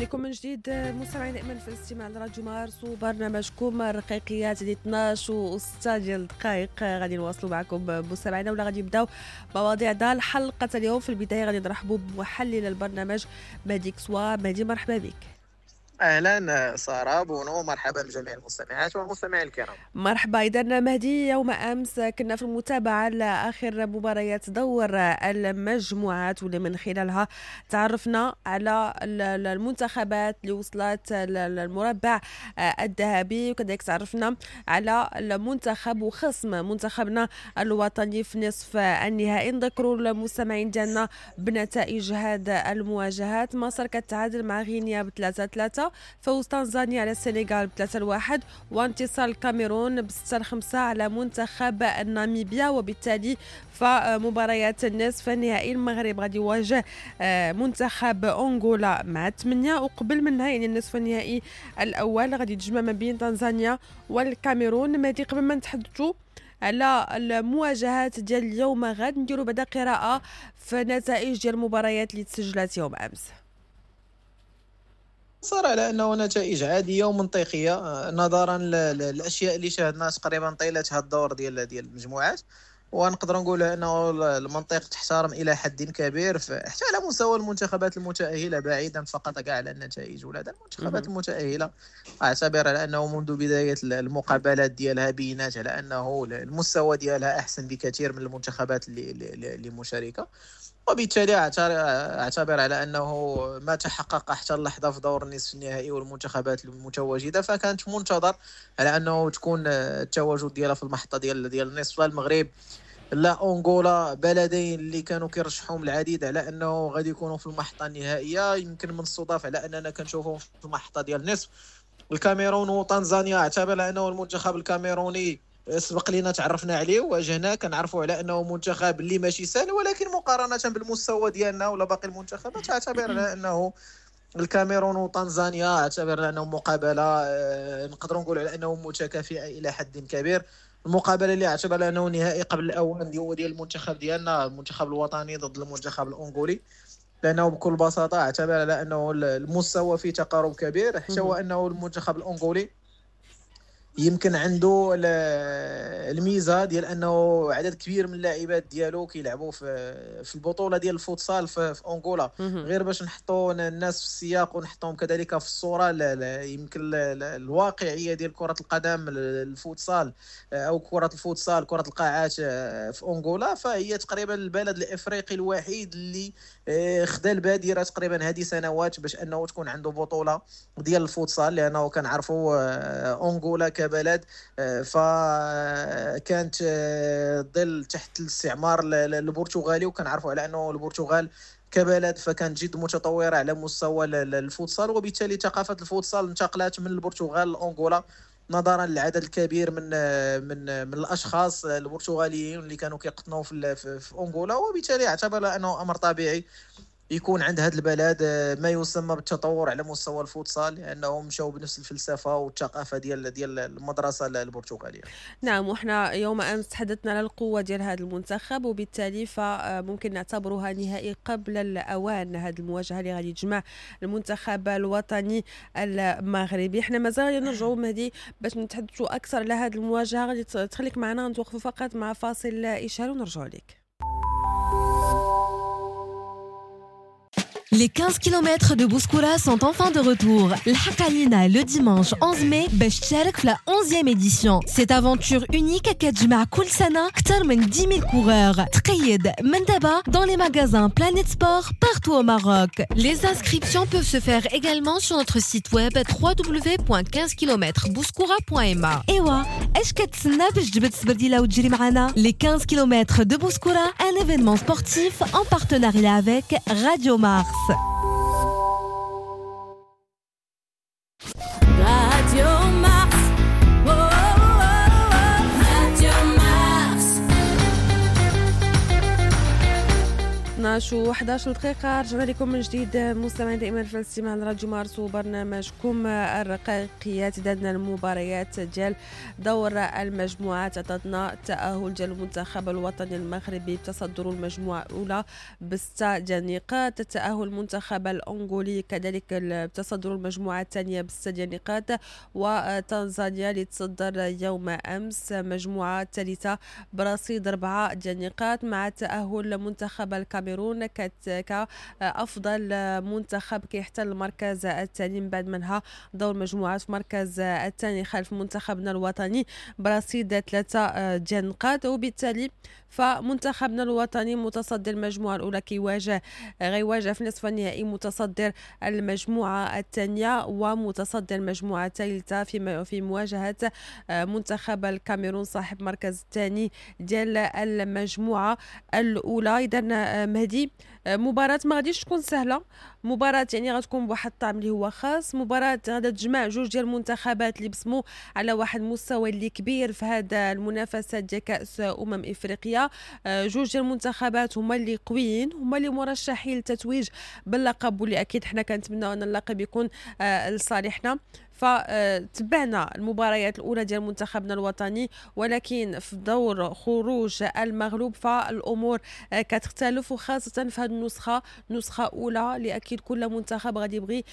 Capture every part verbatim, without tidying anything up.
بكم من جديد مستمعين دائما في الاستماع لراديو مارس وبرنامجكم الرقيقيات ديال اثناش وستة ديال الدقائق. غادي نواصلوا معكم مستمعينا ولا غادي نبداو مواضيع ديال الحلقة اليوم. في البداية غادي نرحبوا بمحلل البرنامج مهدي كسوا. مهدي مرحبا بك. اهلا ساره بونو، مرحبا بجميع المستمعات والمستمعين الكرام. مرحبا. اذا مهدي، يوم امس كنا في المتابعة لاخر مباريات دور المجموعات واللي من خلالها تعرفنا على المنتخبات اللي وصلت للمربع الذهبي، وكذلك تعرفنا على المنتخب وخصم منتخبنا الوطني في نصف النهائي. نذكروا المستمعين ديالنا بنتائج هذا المواجهات. مصر كتعادل مع غينيا بثلاثة ثلاثة، فوز تنزانيا على السنغال بثلاثة لواحد، وانتصار الكاميرون بستة خمسة على منتخب ناميبيا. وبالتالي فمباريات النصف النهائي المغرب غادي يواجه منتخب أنغولا مع ثمانية، وقبل منها يعني النصف النهائي الأول غادي يتجمع ما بين تنزانيا والكاميرون. مهدي، قبل ما نتحدثوا على المواجهات ديال اليوم غاد نديروا بعدا قراءة في نتائج ديال المباريات اللي تسجلت يوم أمس. صار على انه نتائج عادية ومنطقيه نظرا للاشياء اللي شاهدناها تقريبا طيلة هذا الدور ديال ديال المجموعات، ونقدر نقول انه المنطق تحترم الى حد كبير حتى على مستوى المنتخبات المتاهله، بعيدا فقط كاع على النتائج ولا المنتخبات المتاهله. اعتبر على انه منذ بداية المقابلات ديالها بينات على انه المستوى ديالها احسن بكثير من المنتخبات اللي اللي مشاركة، وبالتالي اعتبر على انه ما تحقق حتى اللحظة في دور النصف النهائي والمنتخبات المتواجدة فكانت منتظر على انه تكون التواجد ديالها في المحطة ديال ديال النصف. لا المغرب لا انغولا، بلدين اللي كانوا كيرشحهم العديد على انه غادي يكونوا في المحطة النهائية، يمكن من الصدف على اننا كنشوفهم في المحطة ديال النصف. الكاميرون وطنزانيا، اعتبر على انه المنتخب الكاميروني سبق لينا تعرفنا عليه وواجهناه، كنعرفوا على انه منتخب اللي ماشي سهل، ولكن مقارنة بالمستوى ديالنا ولا باقي المنتخبات اعتبر على انه الكاميرون وطنزانيا اعتبر على انه مقابله نقدروا نقول على انه متكافئة الى حد كبير. المقابلة اللي اعتبر على انه نهائي قبل الاوان هو ديال المنتخب ديالنا، المنتخب الوطني ضد المنتخب الانغولي، لانه بكل بساطة اعتبر على انه المستوى فيه تقارب كبير، حتى هو انه المنتخب الانغولي يمكن عنده الميزة ديال انه عدد كبير من اللاعبات ديالو كيلعبوا في في البطولة ديال الفوتسال في, في انغولا. غير باش نحطوا الناس في السياق ونحطوهم كذلك في الصورة يمكن الواقعية ديال كره القدم الفوتسال او كره الفوتسال كره القاعات في انغولا، فهي تقريبا البلد الافريقي الوحيد اللي خدا البادرة تقريبا هذه سنوات باش انه تكون عنده بطوله ديال الفوتسال، لانه كنعرفوا انغولا كبلد فكانت ظل تحت الاستعمار البرتغالي، وكنعرفوا على انه البرتغال كبلد فكانت جد متطورة على مستوى الفوتسال، وبالتالي ثقافة الفوتسال انتقلت من البرتغال لانغولا نظرا للعدد الكبير من من من الاشخاص البرتغاليين اللي كانوا كيقطنوا في في انغولا، وبالتالي اعتبر انه امر طبيعي يكون عند هذا البلد ما يسمى بالتطور على مستوى الفوتسال، لانهم مشاو بنفس الفلسفة والثقافة ديال ديال المدرسة البرتغالية. نعم، وحنا يوم امس تحدثنا على القوة ديال هذا المنتخب، وبالتالي فممكن نعتبرها نهائي قبل الاوان هذه المواجهة اللي غادي تجمع المنتخب الوطني المغربي. حنا مازال نرجعوا مهدي باش نتحدثوا اكثر على هذه المواجهة، غادي تخليك معنا، نتوقفوا فقط مع فاصل اشهار ونرجعوا لك. Les quinze kilomètres de Bouskoura sont enfin de retour. الحق علينا le dimanche onze mai باش تشارك في la onzième édition. Cette aventure unique كتجمع كل سنة أكثر من dix mille coureurs. تقيد من دابا dans les magasins Planet Sport partout au Maroc. Les inscriptions peuvent se faire également sur notre site web w w w point quinze kilomètres bouskoura point m a. إيوا اش كتسنى باش تجبد السبرديلة وتجري معنا؟ Les quinze kilomètres de Bouskoura, un événement sportif en partenariat avec Radio Mars. Radio Mars, oh, oh, oh, Radio Mars. اثنا عشر و إحداش دقيقة، رجعنا لكم من جديد مستمعين دائما في الاستماع لراديو مارس وبرنامجكم الرقائقيات. دادنا المباريات ديال دور المجموعات عطاتنا التأهل ديال المنتخب الوطني المغربي بتصدر المجموعة الأولى بستة ديال النقاط، التأهل المنتخب الأنغولي كذلك بتصدر المجموعة الثانية بستة ديال النقاط، وتنزانيا اللي تصدر يوم أمس مجموعة الثالثة برصيد أربعة ديال النقاط، مع تأهل منتخب الكاميرون كأفضل منتخب كيحتل المركز الثاني من بعد منها دور مجموعات في مركز الثاني خلف منتخبنا الوطني برصيد ثلاثة ديال النقاط. وبالتالي فمنتخبنا الوطني متصدر المجموعة الأولى كيواجه غيواجه في نصف النهائي متصدر المجموعة الثانية ومتصدر المجموعة الثالثة في في مواجهة منتخب الكاميرون صاحب مركز الثاني ديال المجموعة الأولى. إذا مهدي، مباراة ما غاديش تكون سهلة، مباراة يعني غتكون بواحد الطعم اللي هو خاص، مباراة غادا تجمع جوج ديال المنتخبات اللي بصموا على واحد المستوى اللي كبير في هذا المنافسة ديال كأس أمم إفريقيا. جوج ديال المنتخبات هما اللي قويين، هما اللي مرشحين للتتويج باللقب، واللي اكيد حنا كنتمناو ان اللقب يكون لصالحنا. فتبعنا المباريات الاولى ديال منتخبنا الوطني، ولكن في دور خروج المغلوب فالامور كتختلف، وخاصة في هذه النسخه، نسخه اولى اللي اكيد كل منتخب غادي يبغي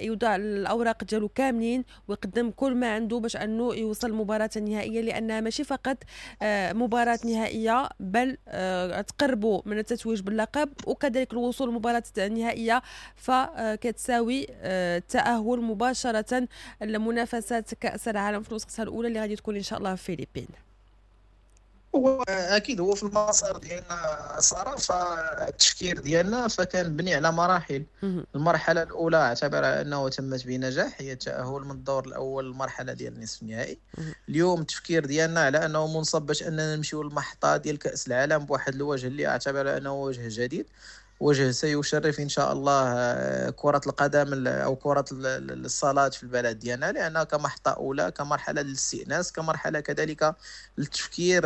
يوضع الاوراق ديالو كاملين ويقدم كل ما عنده باش انه يوصل للمباراة النهائيه، لانها ماشي فقط مباراة نهائية بل تقربوا من التتويج باللقب وكذلك الوصول للمباراة النهائية، فكتساوي التاهل مباشرة لمنافسات كأس العالم في نسختها الأولى اللي غادي تكون إن شاء الله في الفلبين. هو اكيد هو في المسار ديالنا ساره، فالتفكير ديالنا فكان بني على مراحل. المرحلة الاولى اعتبر انه تمت بنجاح، هي التاهل من الدور الاول للمرحلة ديال النصف النهائي. اليوم التفكير ديالنا على انه منصب باش اننا نمشيو للمحطه ديال كاس العالم بواحد الوجه اللي اعتبر انه وجه جديد، وجه سيشرف ان شاء الله كره القدم او كره الصالات في البلد ديالنا، لانها كمحطه اولى، كمرحلة للاستئناس، كمرحلة كذلك للتفكير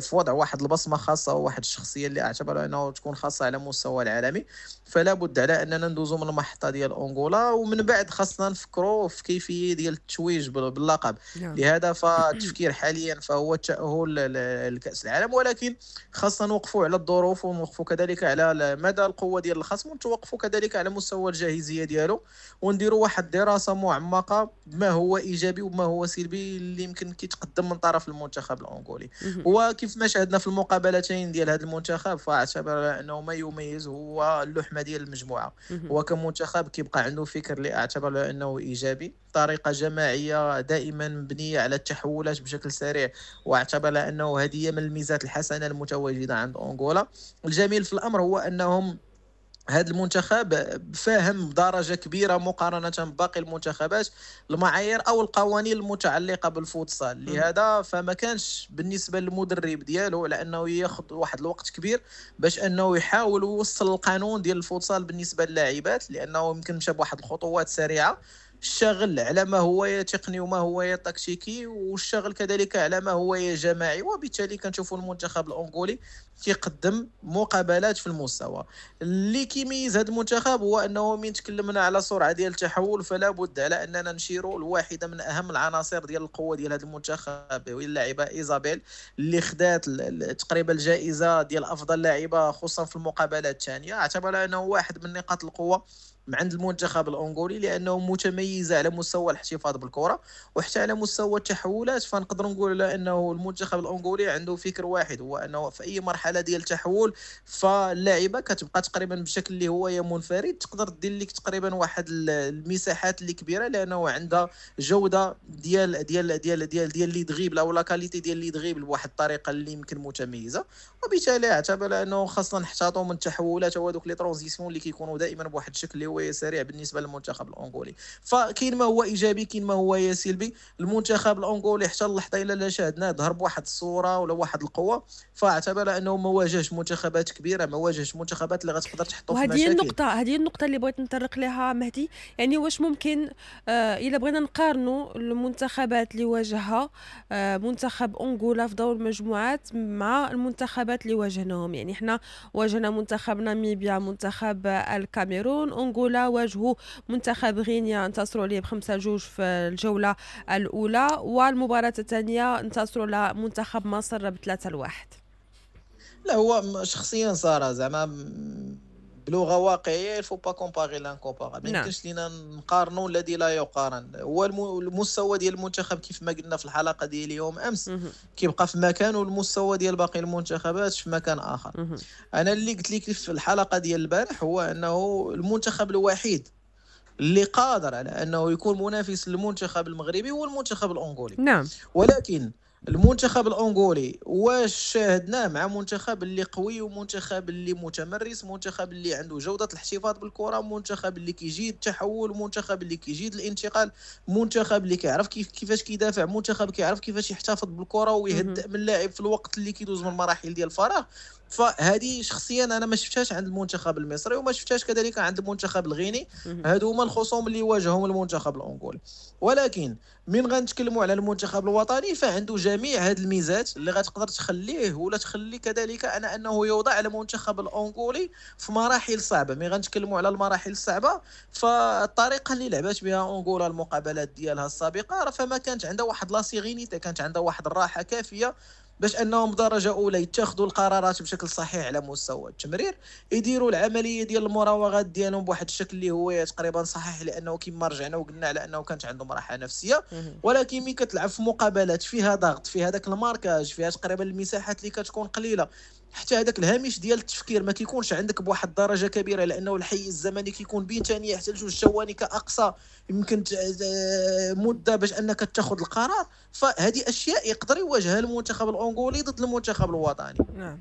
في وضع واحد البصمة خاصة وواحد الشخصية اللي اعتبر انه تكون خاصة على المستوى العالمي. فلا بد على اننا ندوزو من المحطة ديال انغولا، ومن بعد خاصنا نفكروا في كيفية ديال التتويج باللقب. نعم. لهذا فالتفكير حاليا فهو التاهل لكاس العالم، ولكن خاصنا نوقفوا على الظروف ونوقفوا كذلك على مدى القوة ديال الخصم، ونتوقفوا كذلك على مستوى الجاهزيه ديالو، ونديروا واحد الدراسة معمقة بما هو ايجابي وما هو سلبي اللي يمكن كيتقدم من طرف المنتخب الانغولي. وكيف ما شاهدنا في المقابلتين ديال هذا المنتخب، فاعتبر انه ما يميز هو اللحمة ديال المجموعة. هو كمنتخب كيبقى عنده فكر اللي اعتبر انه ايجابي، طريقه جماعية دائما مبنية على التحولات بشكل سريع، واعتبر انه هذه من الميزات الحسنة المتواجدة عند انغولا. الجميل في الامر هو انهم هذا المنتخب فاهم بدرجة كبيرة مقارنة بباقي المنتخبات المعايير او القوانين المتعلقة بالفوتسال، لهذا فما كانش بالنسبة للمدرب ديالو على انه ياخذ واحد الوقت كبير باش انه يحاول يوصل القانون ديال الفوتسال بالنسبة للاعبات، لانه يمكن مشى بواحد الخطوات سريعة، اشتغل على ما هو تقني وما هو تكتيكي، واشتغل كذلك على ما هو جماعي، وبالتالي كنشوفوا المنتخب الانغولي كيقدم مقابلات في المستوى. اللي كيميز هذا المنتخب هو انه من تكلمنا على سرعة ديال التحول، فلا بد على اننا نشيروا لواحدة من اهم العناصر ديال القوة ديال هذا المنتخب، وهي اللاعبه ايزابيل اللي خدات تقريبا الجائزة ديال افضل لاعبه خصوصا في المقابلات الثانية. اعتبر انه واحد من نقاط القوة عند المنتخب الانغولي، لانه متميز على مستوى الاحتفاظ بالكرة وحتى على مستوى التحولات. فنقدر نقول انه المنتخب الانغولي عنده فكر واحد، هو انه في اي مرحلة ديال التحول فاللاعبه كتبقى تقريبا بشكل اللي هو منفرد، تقدر دير لك تقريبا واحد المساحات اللي كبيرة، لانه عندها جوده ديال ديال ديال ديال ديال les dribbles او la qualité ديال les dribbles بواحد الطريقة اللي يمكن متميزة. وبالتالي اعتبر انه خاصنا نحتاطوا من التحولات وهذوك les transitions اللي كيكونوا دائما بواحد الشكل اللي هو سريع بالنسبة للمنتخب الانغولي. فكاين ما هو ايجابي، كاين ما هو سلبي. المنتخب الانغولي حتى اللحظة الا لا شاهدناه ظهر بواحد الصورة ولا واحد القوة، فاعتبر انه ما واجهش منتخبات كبيرة، ما واجهش منتخبات اللي غتقدر تحطو في مشاكل. وهذه النقطة، هذه النقطة اللي بغيت نطرق لها مهدي، يعني واش ممكن آه الا بغينا نقارنوا المنتخبات اللي واجهها آه منتخب انغولا في دور المجموعات مع المنتخبات اللي واجهناهم؟ يعني حنا واجهنا منتخب ناميبيا، منتخب الكاميرون، انغولا واجهوا منتخب غينيا انتصروا عليه بخمسة جوج في الجولة الأولى، والمباراة الثانية انتصروا على منتخب مصر بثلاثة لواحد. لا هو شخصيا سارة زعما بلغه واقعية il faut pas comparer l'incomparable، ما يمكنش لينا نقارنوا الذي لا يقارن. هو المستوى ديال المنتخب كيف ما قلنا في الحلقة ديال اليوم امس كيبقى في مكان، والمستوى ديال باقي المنتخبات في مكان اخر. انا اللي قلت لك في الحلقة ديال البارح هو انه المنتخب الوحيد اللي قادر على انه يكون منافس للمنتخب المغربي هو المنتخب الانغولي. نعم. ولكن المنتخب الانغولي واش شاهدناه مع منتخب اللي قوي ومنتخب اللي متمرس، منتخب اللي عنده جودة الاحتفاظ بالكرة، منتخب اللي كيجيد التحول، منتخب اللي كيجيد الانتقال، منتخب اللي كيعرف كيف كيفاش كيدافع، منتخب كيعرف كيفاش يحتفظ بالكرة ويهدئ من اللاعب في الوقت اللي كيدوز من مراحل ديال الفراغ. فهذه شخصيا انا ما شفتهاش عند المنتخب المصري وما شفتهاش كذلك عند المنتخب الغيني. هادو هما الخصوم اللي واجههم المنتخب الانغولي. ولكن من غنتكلموا على المنتخب الوطني فعنده جميع هاد الميزات اللي غتقدر تخليه ولا تخلي كذلك انا انه يوضع على المنتخب الانغولي في مراحل صعبة. ملي غنتكلموا على المراحل الصعبة فالطريقه اللي لعبات بها انغولا المقابلات ديالها السابقة راه فما كانت عندها واحد la sérénité، كانت عندها واحد الراحة كافيه باش انهم بدرجة اولى يتخذوا القرارات بشكل صحيح على مستوى التمرير، يديروا العملية ديال المراوغات ديالهم بواحد الشكل اللي هو تقريبا صحيح، لانه كما رجعنا وقلنا على انه كانت عندهم راحة نفسية. ولكن ملي كتلعب في مقابلات فيها ضغط، فيها داك ال marquage، فيها تقريبا المساحات اللي كتكون قليله، حتى هذاك الهامش ديال التفكير ما كيكونش عندك بواحد الدرجة كبيرة، لانه الحيز الزمني كيكون بين ثانية حتى لجوج ثواني كاقصى يمكن مده باش انك تاخذ القرار. فهذه اشياء يقدر يواجهها المنتخب الانغولي ضد المنتخب الوطني. نعم.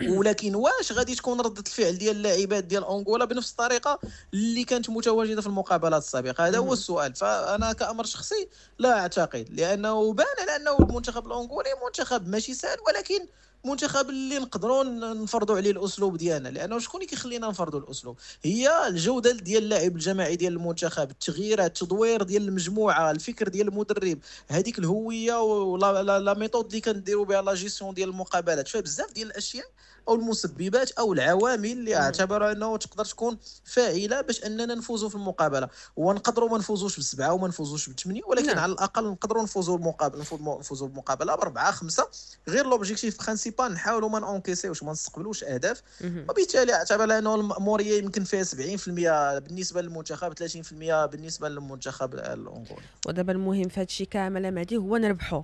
ولكن واش غادي تكون ردة الفعل ديال اللاعبات ديال انغولا بنفس الطريقة اللي كانت متواجدة في المقابلات السابقة؟ هذا هو السؤال. فانا كأمر شخصي لا اعتقد، لانه بان على انه المنتخب الانغولي منتخب ماشي سهل، ولكن منتخب اللي نقدروا نفرضوا عليه الاسلوب ديالنا. لانه شكون اللي كيخلينا نفرضوا الاسلوب؟ هي الجودة ديال اللاعب الجماعي ديال المنتخب، التغييرات، التدوير ديال المجموعة، الفكر ديال المدرب، هذيك الهوية ولا la méthode اللي كنديروا بها la gestion ديال المقابلات. فبزاف ديال الاشياء او المسببات او العوامل اللي اعتبر انه تقدر تكون فاعله باش اننا نفوزوا في المقابلة. ونقدروا ما نفوزوش بسبعة وما نفوزوش بثمانية، ولكن نعم. على الاقل نقدروا نفوزوا المقابلة، نفوزوا بالمقابلة باربعة خمسة. غير l'objectif principal نحاولوا ما نونكيسيوش، ما نستقبلوش اهداف. وبالتالي اعتبر انه المأموريه يمكن فيها سبعين بالمية بالنسبة للمنتخب، ثلاثين بالمية بالنسبة للمنتخب الانغولي. ودابا المهم في هذا الشيء كامل مهدي هو نربحوا.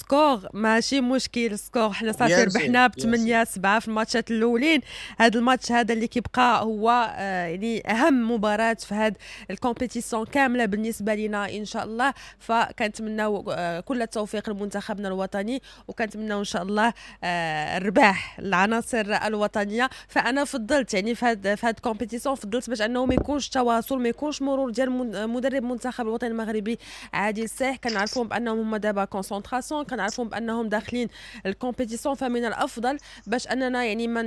score ماشي مشكل، score حنا صافي ربحنا ب ثمانية سبعة في الماتشات الاولين. هذا الماتش هذا اللي كيبقى هو آه يعني اهم مباراة في هذا ال compétition كاملة بالنسبة لنا ان شاء الله. فكنتمناو آه كل التوفيق لمنتخبنا الوطني، وكنتمناو ان شاء الله آه الرباح العناصر الوطنية. فانا فضلت يعني في هذا في هذا ال compétition فضلت باش انه ما يكونش تواصل، ما يكونش مرور ديال مدرب منتخب الوطني المغربي عادل السايح. كنعرفهم بانهم هما دابا concentration، كنعرفهم بانهم داخلين ال compétition، فمن الافضل باش اننا يعني من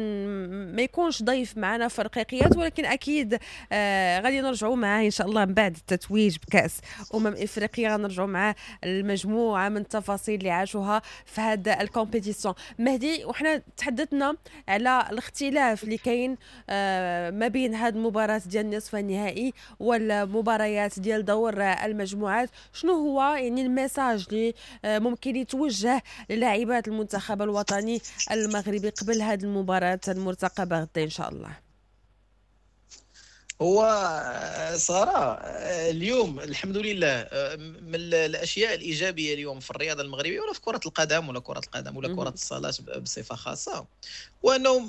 ما يكونش ضيف معنا في الرقيقيات. ولكن اكيد آه غادي نرجعوا معاه ان شاء الله من بعد التتويج بكاس امم افريقيا، غنرجعوا معاه المجموعة من التفاصيل اللي عاشوها في هذا ال compétition. مهدي، وحنا تحدثنا على الاختلاف اللي كاين آه ما بين هذه المباراة ديال النصف النهائي والمباريات ديال دور المجموعات. شنو هو يعني ال message اللي آه ممكن يتوجه للاعبات المنتخب الوطني المغربي قبل هذه المباراة المرتقبة غدا إن شاء الله؟ هو سارة اليوم الحمد لله من الأشياء الإيجابية اليوم في الرياضة المغربية ولا في كرة القدم ولا كرة القدم ولا كرة الصالات بصفة خاصة، وأنه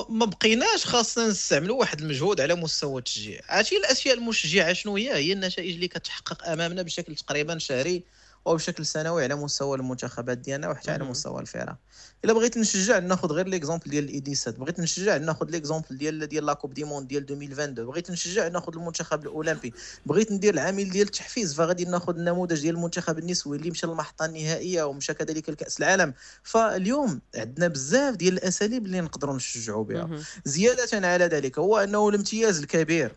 ما بقيناش خاصنا نستعملوا واحد المجهود على مستوى التشجيع. عرفتي الأشياء المشجعة شنو هي؟ هي النتائج اللي كتحقق أمامنا بشكل تقريبا شهري وبشكل سنوي على مستوى المنتخبات ديالنا وحتى على مستوى الفرق. الا بغيت نشجع ناخذ غير l'exemple ديال ال U dix-sept، بغيت نشجع ناخذ l'exemple ديال ديال la Coupe du monde ديال ألفين واثنين وعشرين، بغيت نشجع ناخذ المنتخب الاولمبي، بغيت ندير العامل ديال التحفيز فغادي ناخذ النموذج ديال المنتخب النسوي اللي مشى للمحطه النهائية ومشى كذلك لكاس العالم. فاليوم عندنا بزاف ديال الاساليب اللي نقدروا نشجعوا بها. زيادة على ذلك هو انه الامتياز الكبير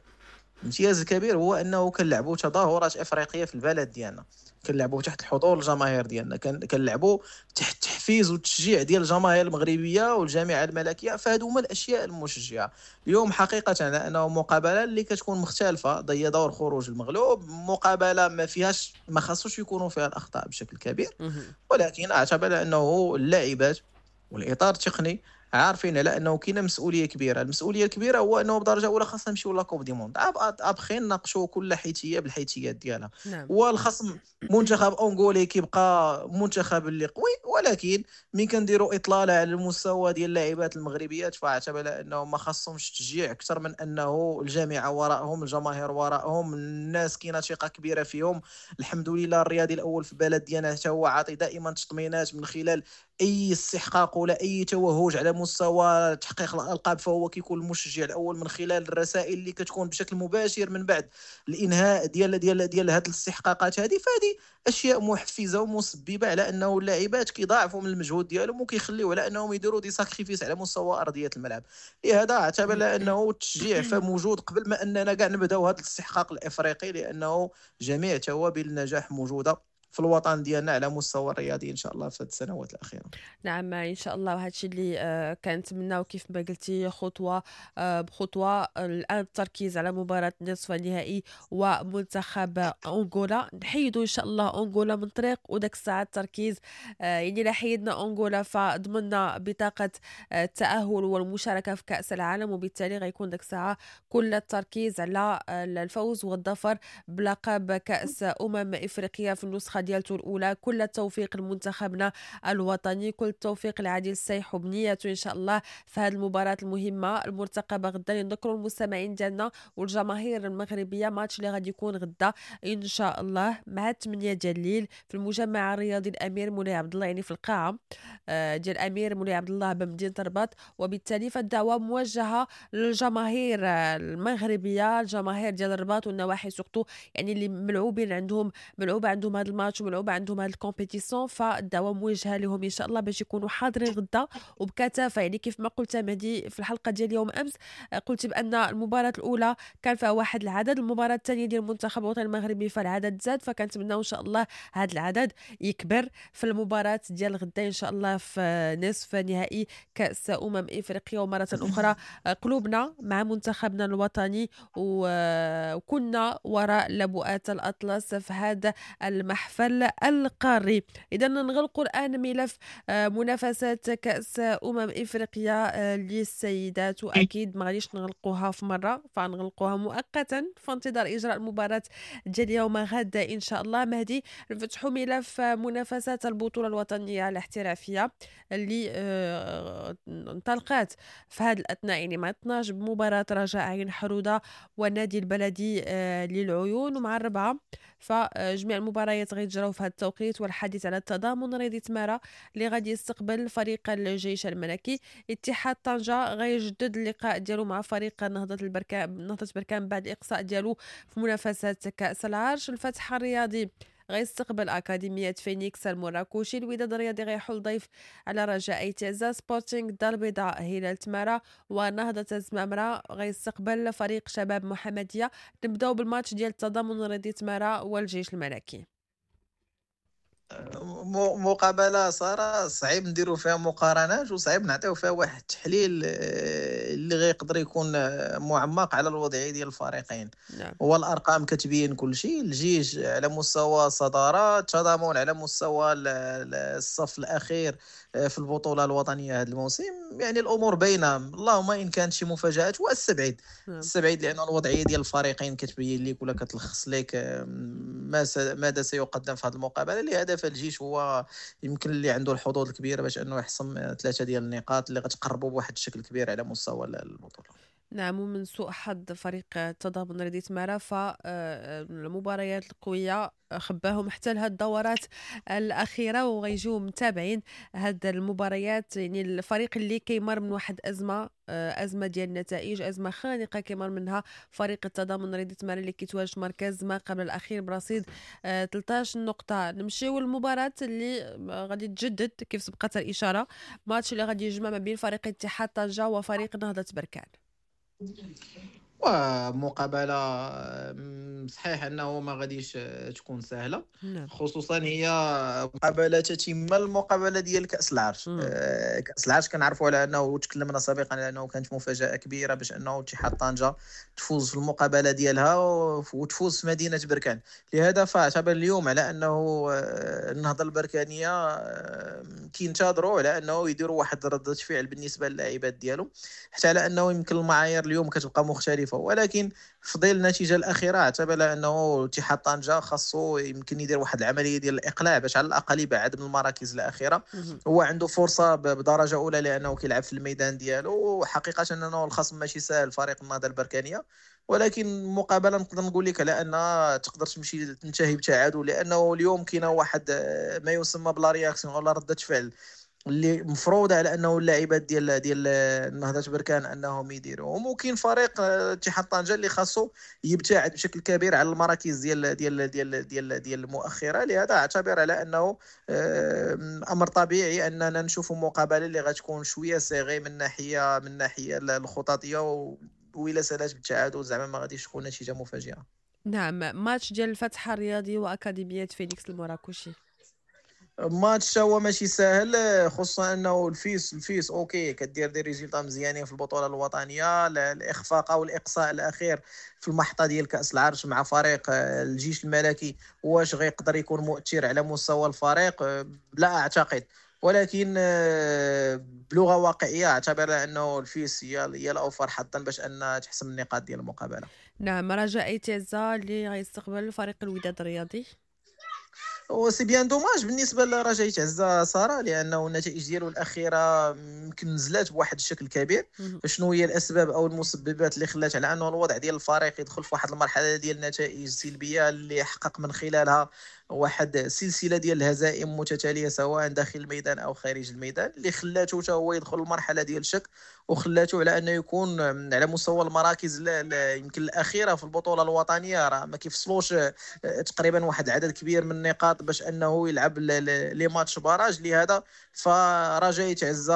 الامتياز الكبير هو انه كنلعبوا تظاهرات افريقية في البلد ديالنا، كنلعبوا تحت الحضور الجماهير ديالنا، كنلعبوا تحت التحفيز والتشجيع ديال الجماهير المغربية والجامعة الملكية. فهادو هما الاشياء المشجعه اليوم حقيقة، انه مقابله اللي كتكون مختلفة هي دور خروج المغلوب، مقابله ما فيهاش ما خاصوش يكونوا فيها الاخطاء بشكل كبير، ولكن اعتبر انه اللاعبات والاطار التقني عارفين على انه كاينه مسؤولية كبيرة. المسؤولية الكبيرة هو انه بدرجة اولى خاصنا نمشيو la Coupe du monde، après نناقشوا كل حيثية بالحيثيات ديالها. نعم. والخصم منتخب انغولي كيبقى منتخب اللي قوي، ولكن ملي كنديروا اطلالة على المستوى ديال اللاعبات المغربيات فاعتبر انه ما خاصهمش تشجيع اكثر من انه الجامعة وراءهم، الجماهير وراءهم، الناس كاينه ثقة كبيرة فيهم. الحمد لله الرياضي الاول في البلد ديالنا حتى هو عاطي دائما تطمينات من خلال اي استحقاق ولا اي توهج على مستوى تحقيق الالقاب، فهو كيكون المشجع الاول من خلال الرسائل اللي كتكون بشكل مباشر من بعد الانهاء ديال ديال ديال هذه الاستحقاقات هذه. فهذه اشياء محفزه ومسببه على انه اللاعبات كيضاعفوا من المجهود ديالهم وكيخليو على انهم يديروا des sacrifices على مستوى ارضية الملعب. لهذا اعتبر انه التشجيع فموجود قبل ما اننا كاع نبداو هذا الاستحقاق الافريقي، لانه جميع توابل النجاح موجودة في الوطن ديالنا على مستوى الرياضي ان شاء الله في السنوات الاخيرة. نعم ان شاء الله، وهذا الشيء اللي آه كنتمناو كيف ما قلتي خطوة آه بخطوة. الان التركيز على مباراة نصف النهائي ومنتخب انغولا، نحيدوا ان شاء الله انغولا من طريق، وداك الساعة التركيز آه يعني لا حيدنا انغولا فضمنا بطاقة التاهل والمشاركة في كاس العالم، وبالتالي غيكون داك الساعة كل التركيز على الفوز والظفر بلقب كاس امم افريقيا في النسخة ديالته الأولى. كل التوفيق لمنتخبنا الوطني، كل التوفيق لعادل السيح وبنيته إن شاء الله في هذه المباراة المهمة المرتقبة غدا. نذكروا المستمعين ديالنا والجماهير المغربية ماتش اللي غادي يكون غدا إن شاء الله مع ثمانية ديال الليل في المجمع الرياضي الأمير مولاي عبد الله، يعني في القاعة ديال الأمير مولاي عبد الله بمدينة الرباط. وبالتالي فالدعوة موجهة للجماهير المغربية، الجماهير ديال الرباط والنواحي surtout، يعني اللي ملعوبين عندهم ملعوبة عندهم هذا الماتش وملعوبة عندهم هذا ال compétition، فالدعوة موجهة لهم إن شاء الله باش يكونوا حاضرين غدا وبكثافة. يعني كيف ما قلت مهدي في الحلقة ديال يوم أمس، قلت بأن المباراة الأولى كان فيها واحد العدد، المباراة الثانية ديال المنتخب الوطني المغربي فالعدد زاد، فكنتمناو إن شاء الله هذا العدد يكبر في المباراة ديال غدا إن شاء الله في نصف نهائي كأس أمم إفريقيا. ومرة أخرى قلوبنا مع منتخبنا الوطني، وكنا وراء لبؤات الأطلس في هذا المحفل القاري. إذا نغلق الآن ملف منافسات كأس أمم إفريقيا للسيدات، وأكيد ما غاديش نغلقوها في مرة، فنغلقوها مؤقتا في انتظار إجراء المباراة ديال يوم غد إن شاء الله. مهدي، نفتحوا ملف منافسات البطولة الوطنية الاحترافية اللي انطلقت في هذا الأثناء، يعني مع اثناش بمباراة رجاء عين حرودة والنادي البلدي للعيون، ومع الربعة فجميع المباريات غيتجراو في هذا التوقيت. والحديث على التضامن رياضي تمارة اللي غادي يستقبل فريق الجيش الملكي، اتحاد طنجة غيجدد اللقاء ديالو مع فريق نهضة البركان نهضة بركان بعد الإقصاء ديالو في منافسات كأس العرش. الفتح الرياضي غيستقبل أكاديمية فينيكس المراكشي، الوداد الرياضي غيحل ضيف على رجاء ايتازا، سبورتينغ الدار البيضاء هلال تمارة، ونهضة الزمامرة غيستقبل فريق شباب محمدية. نبداو بالماتش ديال التضامن الرياضي تمارة والجيش الملكي. مقابله صراحة صعيب نديروا فيها مقارنات، وصعيب نعطيو فيها واحد التحليل اللي غيقدر يكون معمق على الوضعية ديال الفريقين. نعم. والارقام كتبين كل شيء، الجيش على مستوى الصدارة، التضامن على مستوى الصف الاخير في البطولة الوطنية هذا الموسم، يعني الامور باينة، اللهم ان كانت شي مفاجات. والسبعيد. نعم. السبعيد لان الوضعية ديال الفريقين كتبين لك ولا كتلخص لك ما س... ماذا سيقدم في هذه المقابلة. لهذا فالجيش هو يمكن اللي عنده الحظوظ الكبيرة باش انه يحصم ثلاثة ديال النقاط اللي غتقربوا بواحد الشكل كبير على مستوى البطولة. نعم، ومن سوء حظ فريق التضامن الرياضي تمارا فالمباريات القوية خباهم حتى لهاد الدورات الأخيرة، وغيجيو متابعين هاد المباريات. يعني الفريق اللي كيمر من واحد أزمة، أزمة ديال النتائج، أزمة خانقة كيمر منها فريق التضامن الرياضي تمارا اللي كيتواجد مركز ما قبل الأخير برصيد ثلاثة عشر نقطة. نمشيو للمباراة اللي غادي تجدد كيف سبقت الإشارة، ماتش اللي غادي يجمع ما بين فريق اتحاد طنجة وفريق نهضة بركان. ومقابله صحيح انه ما غاديش تكون سهلة. نعم. خصوصا هي مقابله تتم المقابلة ديال كاس العرش. آه كاس العرش كنعرفوا على انه تكلمنا سابقا على انه كانت مفاجاة كبيرة باش انه اتحاد طنجه تفوز في المقابلة ديالها وتفوز في مدينة بركان. لهذا فاعتبر اليوم على انه النهضة البركانيه كينتظروا على انه يديروا واحد رده فعل بالنسبة للاعبات ديالهم، حتى على انه يمكن المعايير اليوم كتبقى مختلفة، ولكن في ظل النتيجة الاخيرة اعتبر انه اتحاد طنجه خاصو يمكن يدير واحد العملية ديال الاقلاع باش على الاقل يبعد من المراكز الاخيرة. هو عنده فرصة بدرجة اولى لانه كيلعب في الميدان ديالو، وحقيقة انه الخصم ماشي سهل فريق النهضة البركانيه، ولكن المقابلة نقدر نقول لك على انها تقدر تمشي تنتهي بتعادل، لانه اليوم كاينه واحد ما يسمى ب la réaction ولا رده فعل اللي مفروضة على انه اللاعبات ديال ديال نهضة بركان انهم يديروهم. وكاين فريق اتحاد طنجه اللي خاصو يبتعد بشكل كبير على المراكز ديال ديال ديال ديال ديال المؤخرة. لهذا اعتبر على انه امر طبيعي اننا نشوفوا مقابله اللي غتكون شوية serrée من ناحية من ناحية الخططيه، وإلا سالات بالتعادل زعما ما غاديش تكون نتيجة مفاجئة. نعم، ماتش ديال الفتح الرياضي واكاديميه فينيكس المراكشي، ماتش هو ماشي ساهل، خصوصا انه الفيس الفيس OK كدير des résultats مزيانين في البطولة الوطنية، الاخفاق او الاقصاء الاخير في المحطة ديال كاس العرش مع فريق الجيش الملكي واش غيقدر يكون مؤثر على مستوى الفريق؟ لا اعتقد، ولكن بلغه واقعية اعتبر انه الفيس هي هي الاوفر حظا باش ان تحسم النقاط ديال المقابلة. نعم، رجاء تازا اللي غيستقبل فريق الوداد الرياضي. و c'est bien dommage بالنسبة لرجاء تعزى ساره، لانه النتائج ديالو الاخيرة يمكن نزلات بواحد الشكل كبير. شنو هي الاسباب او المسببات اللي خلات على انه الوضع ديال الفريق يدخل في واحد المرحلة ديال النتائج سلبية اللي حقق من خلالها واحد سلسلة ديال الهزائم متتالية سواء داخل الميدان او خارج الميدان، اللي خلاته حتى هو يدخل المرحلة ديال الشك وخلاته على انه يكون على مستوى المراكز يمكن الاخيرة في البطولة الوطنية. راه ما كيفصلوش تقريبا واحد العدد كبير من النقاط باش انه يلعب les matchs barrage. لهذا فرجاء تعزى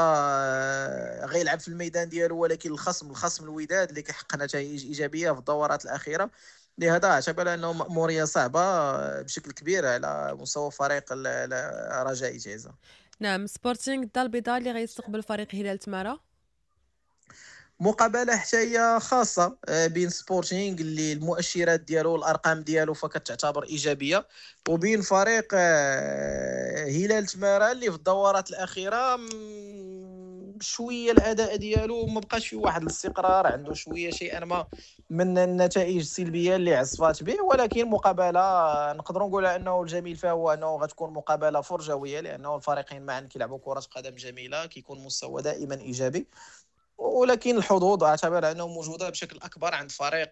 غيلعب في الميدان ديالو، ولكن الخصم الخصم الوداد اللي كيحقق نتائج ايجابية في الدورات الاخيرة. لهذا اعتبر انه مأمورية صعبة بشكل كبير على مستوى فريق رجاء تعزى. نعم، سبورتينغ الدار البيضاء اللي غيستقبل فريق هلال تمارا. مقابله حتى هي خاصة بين سبورتينغ اللي المؤشرات ديالو والارقام ديالو فكتعتبر ايجابية، وبين فريق هلال تمارا اللي في الدورات الاخيرة شوية الاداء ديالو ما بقاش في واحد الاستقرار، عنده شوية شيئا ما من النتائج السلبية اللي عصفات به. ولكن مقابله نقدروا نقول انه الجميل فيها هو انه غتكون مقابله فرجويه، لانه الفريقين معا كيلعبوا كره قدم جميلة، كيكون مستوى دائما ايجابي، ولكن الحظوظ اعتبر انه موجودة بشكل اكبر عند فريق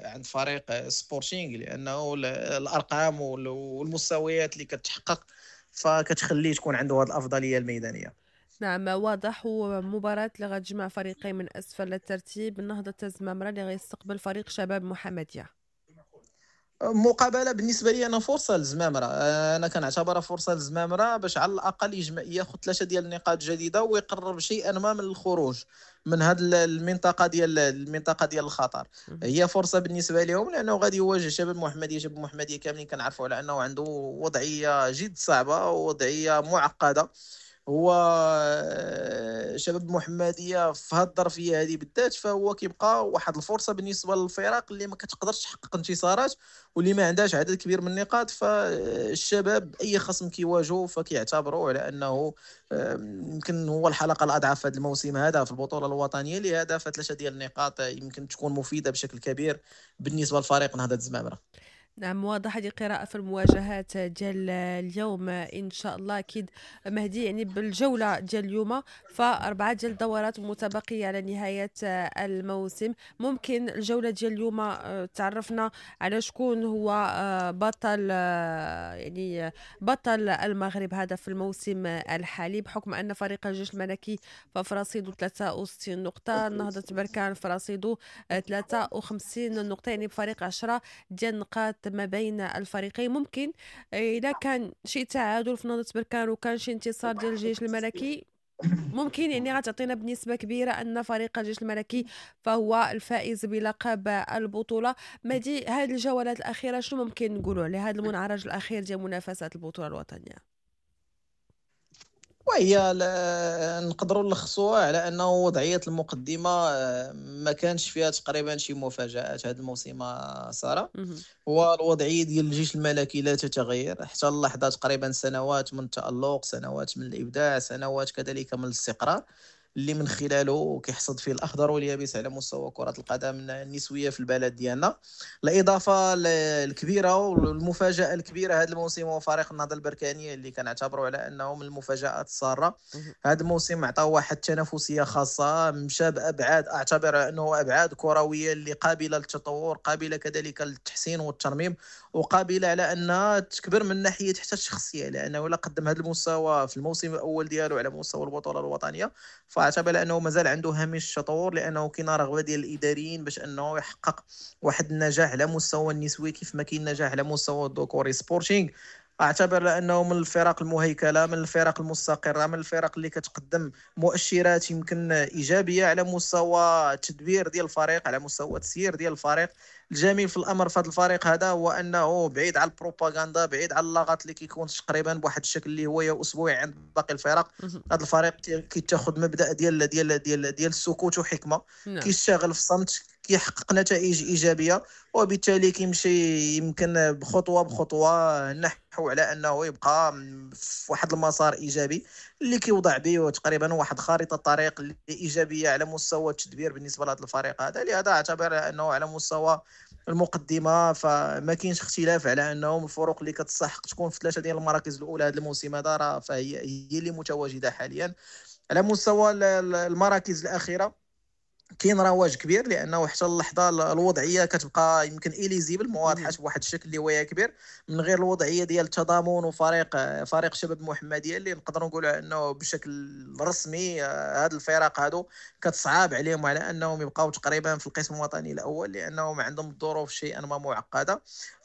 عند فريق سبورتينغ، لانه الارقام والمستويات اللي كتحقق فكتخليه تكون عنده هذه الافضلية الميدانية. نعم، واضح. ومباراة اللي غتجمع فريقين من اسفل الترتيب، النهضة الزمامرة اللي غيستقبل فريق شباب محمدية. مقابله بالنسبة لي انا فرصة للزمامره، انا كنعتبرها فرصة للزمامره باش على الاقل يجمع ياخذ ثلاثة ديال النقاط جديدة ويقرب شيئا ما من الخروج من هذه المنطقة ديال المنطقة ديال الخطر. هي فرصة بالنسبة لهم لانه غادي يواجه شباب محمديه. شباب محمديه كاملين كنعرفوا على انه عنده وضعية جد صعبة ووضعيه معقدة. هو شباب محمديه في هذه الظرفية هذه بالذات فهو كيبقى واحد الفرصة بالنسبة للفرق اللي ما كتقدرش تحقق انتصارات واللي ما عندهاش عدد كبير من النقاط. فالشباب اي خصم كيواجهوا فكيعتبروا على انه يمكن هو الحلقة الاضعف في هذا الموسم هذا في البطولة الوطنية. لهذا فثلاثة ديال النقاط يمكن تكون مفيدة بشكل كبير بالنسبة لفريق نهضة الزمامره. نعم، واضح هذه القراءة في المواجهات ديال اليوم إن شاء الله. أكيد مهدي، يعني بالجولة ديال اليوم فأربعة ديال الدورات متبقية على نهاية الموسم، ممكن الجولة ديال اليوم تعرفنا على شكون هو بطل، يعني بطل المغرب هذا في الموسم الحالي، بحكم أن فريق الجيش الملكي ففي رصيده ثلاثة وستين نقطة، نهضة بركان في رصيده ثلاثة وخمسين نقطة، يعني بفريق عشرة ديال النقاط ما بين الفريقين. ممكن إذا كان شي تعادل في نهضة بركان وكان شي انتصار ديال الجيش الملكي، ممكن يعني غتعطينا بنسبة كبيرة أن فريق الجيش الملكي فهو الفائز بلقب البطولة. مهدي، هذه الجولات الأخيرة شنو ممكن نقولوا على هذا المنعرج الأخير ديال منافسات البطولة الوطنية؟ وهي نقدروا نلخصوها على انه وضعية المقدمة ما كانش فيها تقريبا شي مفاجات هذا الموسم ساره. هو الوضعية ديال الجيش الملكي لا تتغير حتى اللحظة، تقريبا سنوات من التالق، سنوات من الابداع، سنوات كذلك من الاستقرار اللي من خلاله كيحصد فيه الاخضر واليابس على مستوى كره القدم النسوية في البلد ديالنا. الاضافة الكبيرة والمفاجاه الكبيرة هذا الموسم هو فريق النهضة البركانيه اللي كنعتبروا على انه من المفاجات الساره. هذا الموسم عطاه واحد التنافسية خاصة، مشى بابعاد اعتبر انه ابعاد كروية اللي قابله للتطور، قابله كذلك للتحسين والترميم، وقابله على انها تكبر من ناحية حتى الشخصية، لانه لا قدم هذا المستوى في الموسم الاول ديالو على مستوى البطولة الوطنية، فاعتبر انه مازال عنده هامش التطور، لانه كاين رغبة ديال الاداريين باش انه يحقق واحد النجاح على مستوى النسوي كيف ما كاين نجاح على مستوى الذكوري. سبورتينغ اعتبر انه من الفرق المهيكله، من الفرق المستقره، من الفرق اللي كتقدم مؤشرات يمكن ايجابية على مستوى التدبير ديال الفريق، على مستوى التسيير ديال الفريق. الجميل في الامر في هذا الفريق هذا هو انه بعيد على البروباغندا، بعيد على اللغط اللي كيكون تقريبا بواحد الشكل اللي هو اسبوعي عند باقي الفرق. هذا الفريق كيتاخذ مبدا ديال ديال ديال ديال السكوت وحكمه، كيشتغل في الصمت، كيحقق نتائج ايجابية، وبالتالي كيمشي يمكن بخطوة بخطوة نحو على انه يبقى في واحد المسار ايجابي اللي كيوضع به تقريبا واحد خارطة الطريق اللي ايجابية على مستوى التدبير بالنسبة لهذا الفريق هذا. لهذا اعتبر انه على مستوى المقدمة فما كاينش اختلاف على انهم الفرق اللي كتستحق تكون في ثلاثة ديال المراكز الاولى هذا الموسم هذا راه فهي هي اللي متواجدة حاليا. على مستوى المراكز الاخيرة كاين رواج كبير، لانه حتى اللحظة الوضعية كتبقى يمكن illisible، ما واضحاش بواحد الشكل اللي هو كبير، من غير الوضعية ديال التضامن وفريق فريق شباب المحمدية اللي نقدروا نقولوا انه بشكل رسمي هاد الفرق هادو كتصعب عليهم على انهم يبقاو تقريبا في القسم الوطني الاول، لانهم عندهم الظروف شيئا ما معقدة.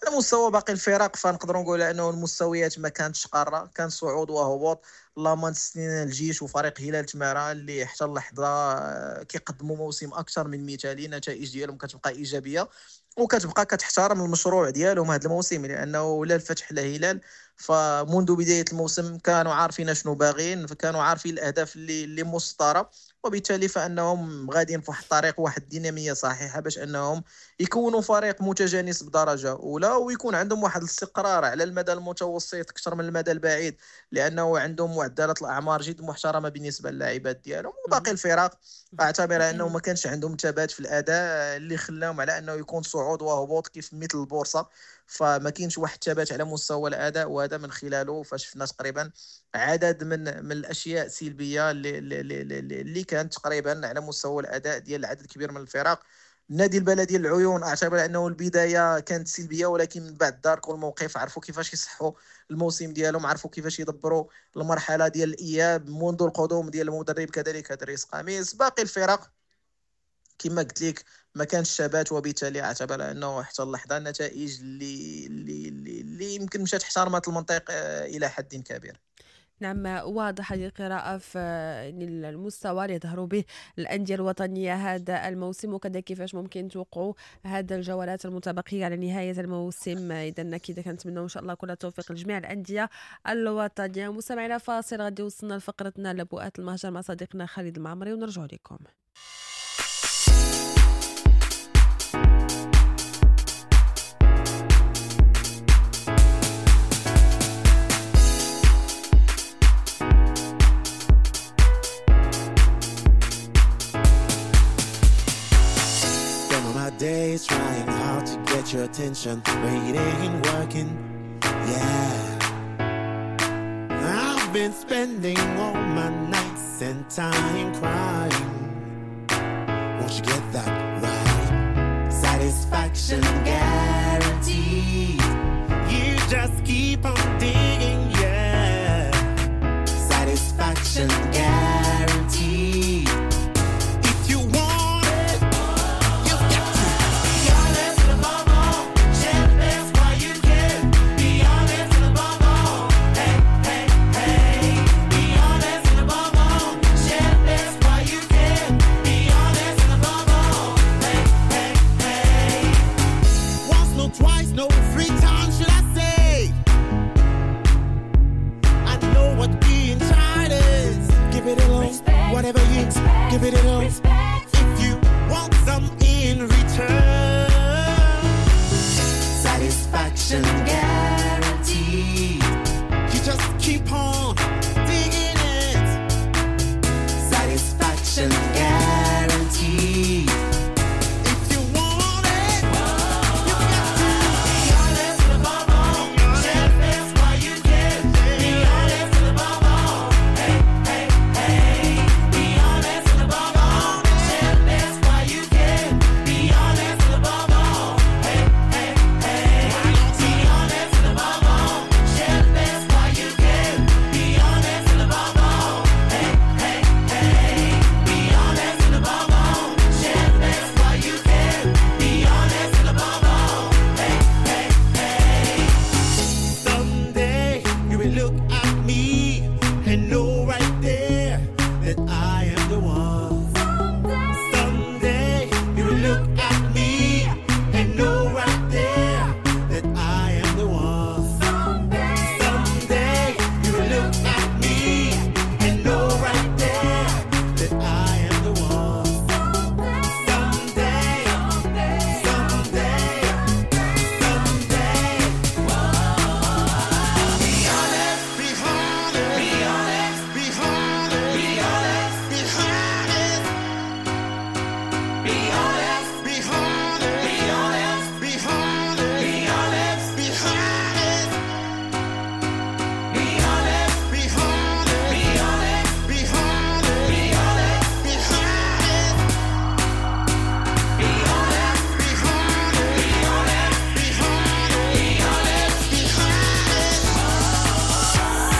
على مستوى باقي الفرق فنقدروا نقولوا انه المستويات ما كانتش قارة، كان صعود وهبوط. اللهم نستثني الجيش وفريق هلال تمارا اللي حتى اللحظة كيقدموا موسم اكثر من مثالي، النتائج ديالهم كتبقى ايجابية وكتبقى كتحترم المشروع ديالهم هذا الموسم، لانه لا الفتح لا هلال فمنذ بداية الموسم كانوا عارفين شنو باغيين، فكانوا عارفين الاهداف اللي اللي مسطرة، وبالتالي فانهم غاديين في واحد الطريق، واحد الديناميه صحيحه باش انهم يكونوا فريق متجانس بدرجة اولى، ويكون عندهم واحد الاستقرار على المدى المتوسط اكثر من المدى البعيد، لانه عندهم معدلات الاعمار جد محترمه بالنسبة للاعبات ديالهم. وباقي الفرق اعتبر انه ما كانش عندهم ثبات في الاداء اللي خلاهم على انه يكون صعود وهبوط كيف مثل البورصة، فما كاينش واحد الثبات على مستوى الاداء، وهذا من خلاله فشفنا تقريبا عدد من من الاشياء السلبية اللي اللي, اللي كانت تقريبا على مستوى الاداء ديال عدد كبير من الفرق. النادي البلدي العيون اعتبر انه البداية كانت سلبية، ولكن من بعد داركوا الموقف، عرفوا كيفاش يصحوا الموسم ديالهم، عرفوا كيفاش يدبروا المرحلة ديال الاياب منذ القدوم ديال المدرب كذلك دريس قميص. باقي الفرق كما قلت لك ما كانش ثبات، وبالتالي اعتبر انه حتى اللحظة النتائج اللي اللي اللي يمكن مشات احترمت المنطق الى حد كبير. نعم، واضح هذه القراءة في المستوى اللي ظهروا به الأندية الوطنية هذا الموسم، وكذا كيفاش ممكن توقعوا هذا الجولات المتبقية على نهاية الموسم. إذا أكيد كنتمنوا إن شاء الله كل التوفيق لجميع الأندية الوطنية. مستمعينا، فاصل غادي وصلنا لفقرتنا لبؤات المهجر مع صديقنا خالد المعمري، ونرجع لكم. Days trying hard to get Get your attention, but it ain't working. Yeah, I've been spending all my nights and time crying. Won't you get that right? Satisfaction guaranteed. You just keep on digging, yeah. Satisfaction guaranteed. If you want it, you've got to be honest and above all. Share the best while you can. Be honest and above all. Hey, hey, hey. Be honest and above all. Share the best while you can. Be honest and above all. Hey, hey, hey. Once, no, twice, no, three times should I say. I know what being tired is. Give it a all, whatever you expect, give it it all. Respect. If you want some in return, satisfaction guaranteed. You just keep on digging it. Satisfaction guaranteed. If you want it, you've got to be honest and above all. Share the best while you can. Be honest and above all. Hey, hey, hey. Be honest and above all. Share the best while you can. Be honest and above all. Hey, hey, hey. Be honest and above all. Share the best while you can. Be honest and above all. Hey, hey, hey. Be honest and above all. Share the best while you can. Be honest and above all. Hey, hey, hey. Someday you will look at me and know right there that I am the one. Someday you will look at me and know right there that I am the one. Someday you will look at me and know right there that I am the one. Someday, someday, someday. Be honest, be honest, be honest, be honest, be honest, be honest. Be honest, be honest, be honest, be honest, be honest, be honest. Be honest, be honest, be honest, be honest, be honest, be honest. Be honest, be honest, be honest, be honest, be honest, be honest.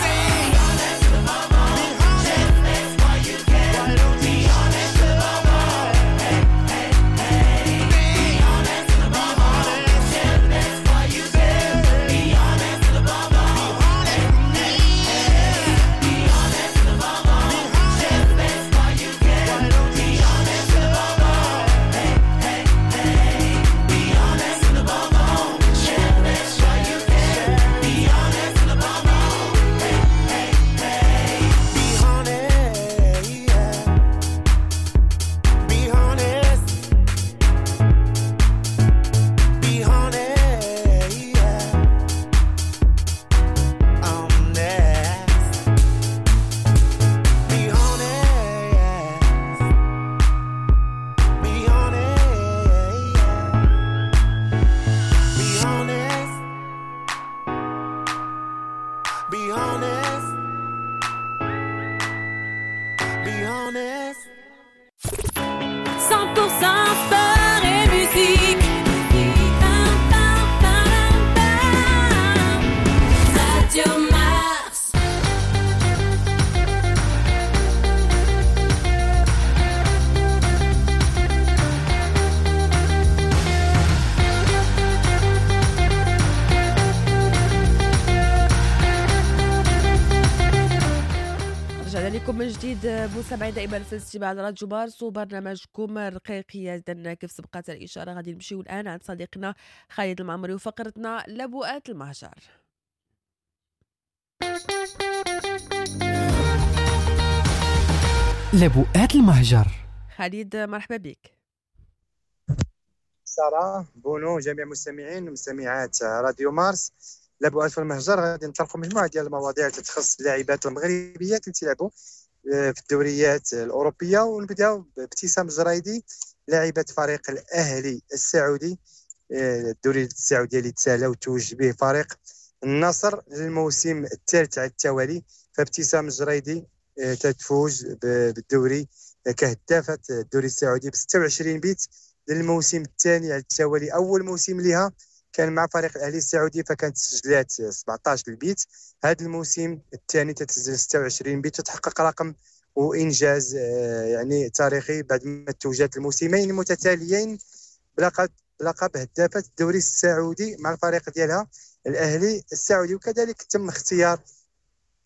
Say honest above all. Share the best while you can. Be honest above all. Hey, hey, hey. Be honest above all. Share the best while you can. Be honest above all. Hey, hey, hey. Be honest above all. Share the best while you can. Be honest above all. Hey, hey, hey. Be honest above all. Share the best while you can. Be honest above all. Hey, hey, hey. Be honest, yeah. Be honest. Be honest, yeah. Honest. Be honest. Be honest, yeah. Be honest. Be honest. Be honest. cent pour cent sport et musique. Pam, pam, pam, pam. Radio Mars. رجعنا لكم من جديد مستمعي دائما في الاستماع لراديو مارس وبرنامجكم الرقيقية. إذن كيف سبقت الإشارة غادي نمشيو الآن عند صديقنا خالد المعمري وفقرتنا لبؤات المهجر. لبؤات المهجر. خالد مرحبا بك. سارة بونو جميع المستمعين ومستمعات راديو مارس. لبؤات في المهجر غادي نطرقوا مجموعة ديال المواضيع اللي تخص اللاعبات المغربيات اللي تلعبوا في الدوريات الاوروبية، ونبداو بابتسام الجرايدي لاعبه فريق الاهلي السعودي الدوري السعودي اللي تسالى وتوج به فريق النصر للموسم الثالث على التوالي. فابتسام الجريدي تتفوز بالدوري كهدافة الدوري السعودي ب ستة وعشرين بيت للموسم الثاني على التوالي. اول موسم لها كان مع فريق الاهلي السعودي فكانت سجلات سبعطاش البيت، هذا الموسم الثاني تتسجل ستة وعشرين بيت وتحقق رقم وانجاز يعني تاريخي بعد ما توجت الموسمين المتتاليين بلقب بلقب هدافة الدوري السعودي مع الفريق ديالها الاهلي السعودي. وكذلك تم اختيار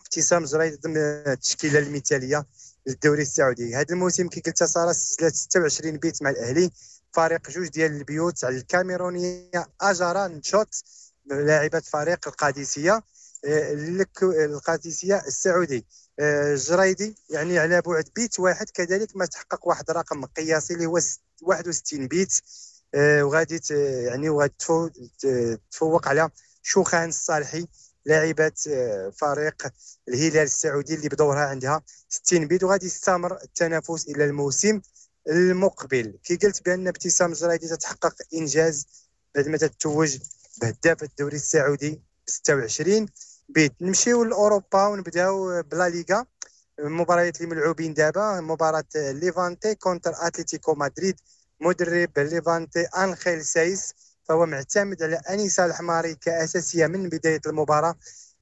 ابتسام جريدي ضمن التشكيلة المثالية للدوري السعودي. هذا الموسم كي قلت ساره سجلت ستة وعشرين بيت مع الاهلي، فارق جوج ديال البيوت على الكاميرونيه اجارا نشوت لاعبه فريق القادسية القادسية السعودي. الجريدي يعني على بعد بيت واحد كذلك ما تحقق واحد الرقم قياسي اللي هو واحد وستين بيت، وغادي يعني وغادي تفوق على شوخان الصالحي لاعبة فريق الهلال السعودي اللي بدورها عندها ستين بيت، وغادي يستمر التنافس الى الموسم المقبل. كي قلت بان ابتسام الجريدي تتحقق انجاز بعد ما تتوج بهداف الدوري السعودي ب ستة وعشرين بيت. نمشيو لاوروبا ونبداو بلا ليغا، المباريات اللي ملعوبين دابا مباراة ليفانتي contre اتلتيكو مدريد. مدرب ليفانتي انخيل سايس فهو معتمد على انيسة الحماري كاساسيه من بداية المباراة.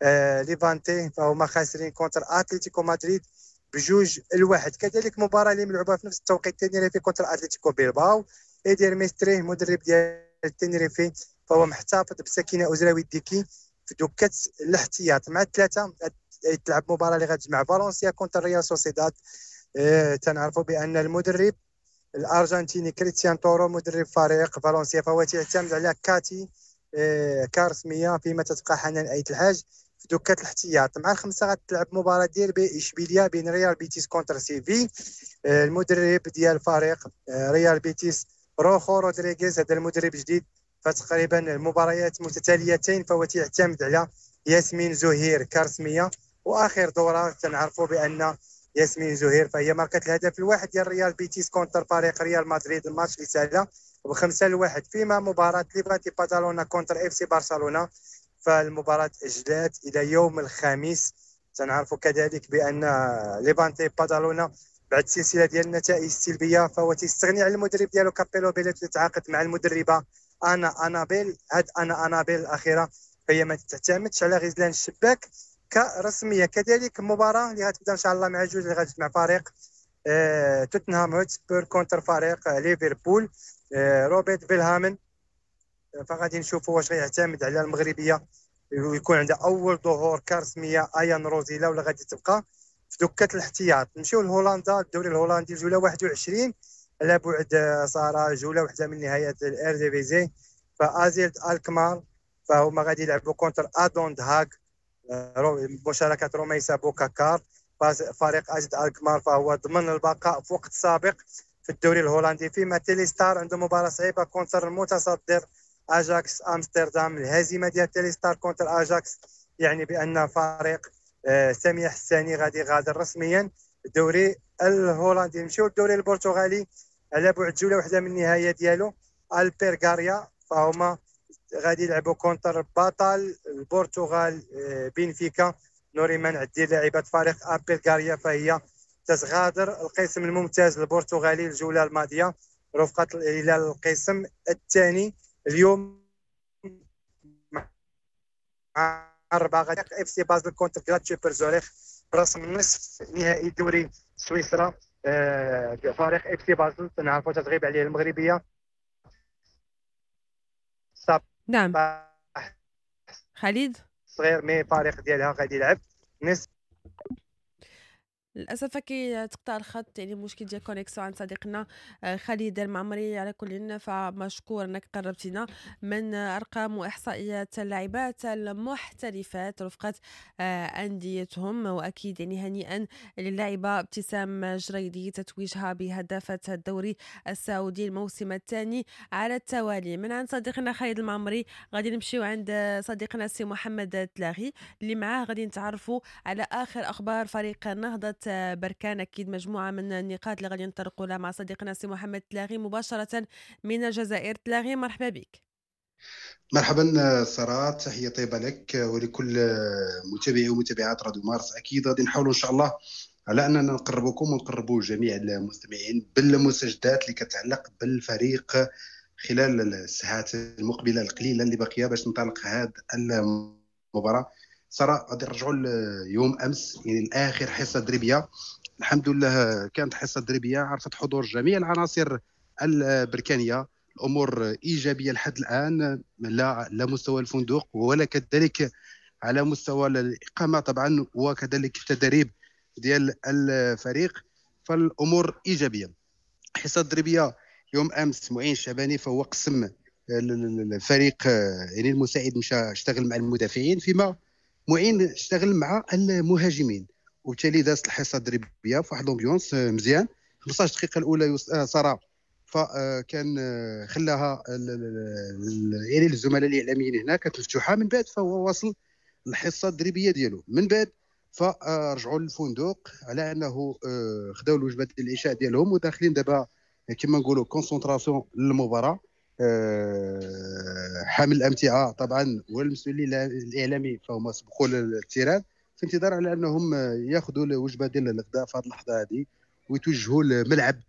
آه ليفانتي فهما خاسرين contre اتلتيكو مدريد بجوج الواحد. كذلك مباراة اللي ملعوبه في نفس التوقيت تينيريفي contre اتلتيكو بيلباو. ايدير ميستري مدرب ديال تينيريفي فهو محتفظ بسكينة اوزراوي ديكي في دكه الاحتياط. مع الثلاثة تلعب مباراة اللي غتجمع فالنسيا contre ريال سوسيداد. آه تنعرفوا بان المدرب الارجنتيني كريستيان تورو مدرب فريق فالنسيا فهو تيعتمد على كاتي آه كارسميه، فيما تتبقى حنان ايت الحاج في دكه الاحتياط. مع الخمسة غتلعب مباراة ديربي اشبيليا بين ريال بيتيس contre سيفي. آه المدرب ديال فريق آه ريال بيتيس روخو رودريغيز، هذا المدرب جديد فتقريبا المباريات متتاليتين فهو تيعتمد على ياسمين زهير كارسميه. واخر دوره تنعرفوا بان ياسمين زهير فهي ماركت الهدف الواحد ديال ريال بيتيس contre فريق ريال مدريد، الماتش اللي سالا بخمسة لواحد. فيما مباراة ليفانتي باتالونا contre اف سي برشلونة فالمباراة اجلات الى يوم الخميس. تنعرفوا كذلك بان ليفانتي باتالونا بعد سلسلة ديال النتائج السلبية فهو تيستغني على المدرب ديالو كابيلو بيليت اللي تعاقد مع المدربه انا انابيل. هاد انا انابيل الاخيرة فهي ما تعتمدش على غزلان الشباك كرسميه. كذلك مباراة اللي غتبدا ان شاء الله مع جوج اللي غتجمع فريق آه توتنهام هوتسبير contre فريق ليفربول. آه روبرت فيلهامن فغادي نشوفوا واش غيعتمد على المغربية ويكون عندها اول ظهور كرسميه ايان روزيلا ولا غادي تبقى في دكه الاحتياط. نمشيو لهولندا، الدوري الهولندي جولة واحد وعشرين على بعد ساره جولة واحدة من نهاية الارديفيزي. فازيلد الكمار فهما غادي يلعبوا contre ادون دهاغ مشاركة روميسا بوكاكار. فريق ازيد الكمار فهو ضمن البقاء في وقت سابق في الدوري الهولندي. فيما تيليستار عنده مباراة صعيبة contre المتصدر اجاكس امستردام. الهزيمة ديال تيليستار contre اجاكس يعني بان فريق سامية حساني غادي غادر رسميا الدوري الهولندي. نمشيو للدوري البرتغالي على بعد جولة واحدة من النهاية ديالو. البيرغاريا فهما غادي يلعبوا contre بطل البرتغال بنفيكا. نوريمان عدي لاعبه فريق البيرغاريا فهي تتغادر القسم الممتاز البرتغالي الجولة الماضية رفقه الى القسم الثاني. اليوم مع أربعة غادي اف سي بازل contre غلاتشوبر زوريخ برسم نصف نهائي دوري سويسرا. آه فريق اف سي بازل تنعرفوا تتغيب عليه المغربية. نعم خالد صغير mais فريق ديالها غادي يلعب نصف. للاسف كي تقطع الخط يعني مشكل ديال connexion عند صديقنا خالد المعمري. على كل فمشكور انك قربتينا من ارقام واحصائيات اللاعبات المحترفات رفقه انديتهم، واكيد يعني هنيئا للاعبه ابتسام جريدي تتويجها بهدافه الدوري السعودي الموسم الثاني على التوالي. من عند صديقنا خالد المعمري غادي نمشيو عند صديقنا سي محمد تلاغي اللي معاه غادي نتعرفوا على اخر اخبار فريق نهضة بركان. أكيد مجموعة من النقاط اللي غادي نطرقوا لها مع صديقنا سي محمد تلاغي مباشرة من الجزائر. تلاغي مرحبا بك. مرحبا سارة، تحية طيبة لك ولكل متابعي ومتابعات راديو مارس. أكيد غادي نحاولوا إن شاء الله على أننا نقربكم ونقربوا جميع المستمعين بالمستجدات اللي كتعلق بالفريق خلال الساعات المقبلة القليلة اللي باقية باش ننطلق هذه المباراة. سارة، غادي نرجعوا ليوم أمس، يعني الآخر حصة تدريبية. الحمد لله كانت حصة تدريبية عرفت حضور جميع العناصر البركانية، الأمور إيجابية لحد الآن، لا لا مستوى الفندق ولا كذلك على مستوى الإقامة طبعا، وكذلك التدريب ديال الفريق، فالأمور إيجابية. حصة تدريبية يوم أمس معين الشعباني فهو قسم الفريق، يعني المساعد مشى اشتغل مع المدافعين، فيما معين اشتغل مع المهاجمين، وبالتالي دازت الحصة التدريبية في واحد l'ambiance مزيان. خمسطاش دقيقة الأولى سارة فكان خلاها يعني الزملاء الاعلاميين هنا كانت مفتوحة، من بعد فهو واصل الحصة التدريبية ديالو. من بعد فرجعوا للفندق على انه خداو الوجبة ديال العشاء ديالهم، وداخلين دابا كما نقولوا concentration للمباراة. حامل الامتعة طبعا والمسؤولين الاعلامي فهما سبقوا لل terrain في انتظار على انهم ياخذوا الوجبة ديال الغداء في هذه اللحظة هذه ويتوجهوا لملعب